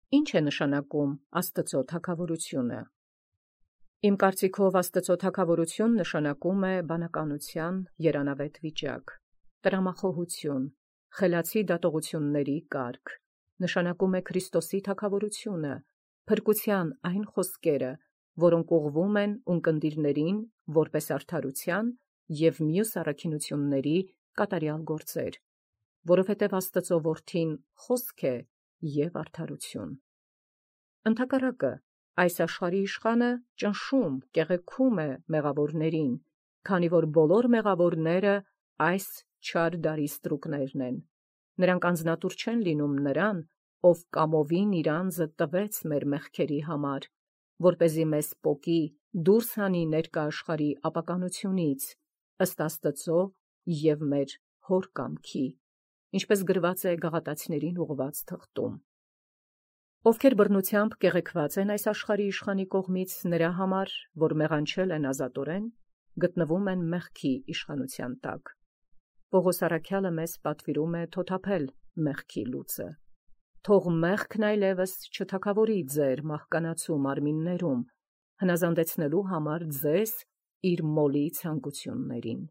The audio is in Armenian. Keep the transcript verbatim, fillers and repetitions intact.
Ինչ է նշանակում Աստծո թագավորությունը։ Իմ կարծիքով Աստծո թագավորություն նշանակում է բանականության երանավետ վիճակ, տրամախոհություն, խելացի դատողությունների կարգ, նշանակում է Քրիստոսի թագավորությունը, փրկության այն խոսքերը, որոնք ուղղվում են ունկնդիրներին որպես արդարության և մյուս առաքինությունների կատարյալ գործեր, որովհետև Աստծո որդին խոսք է և արդարություն։ Ընդհակառակը, այս աշխարհի իշխանը ճնշում, կեղեքում է մեղավորներին, քանի որ բոլոր մեղավորները այս չար դարի ստրուկներն են։ Նրանք անձնատուր չեն լինում նրան, ով կամովին իր անձը տվեց մեր մեղքերի համար, որպեսզի մեզ պոկի դուրս հանի ներկա աշխարհի ապականությունից, ըստ Աստծո և մեր Հոր կամքի, ինչպես գրված է Գաղատացիներին ուղղված թղթում։ Ովքեր բռնությամբ կեղեքված են այս աշխարհի իշխանի կողմից, նրա համար, որ մեղանչել են ազատորեն, գտնվում են մեղքի իշխանության տակ։ Պողոս առաքյալը մեզ պատվիրում է թոթափել մեղքի լուծը։ Թող մեղքն այլևս չթագավորի ձեր մահկանացու մարմիններում, հնազանդեցնելու համար ձեզ իր մոլի ցանկություններին։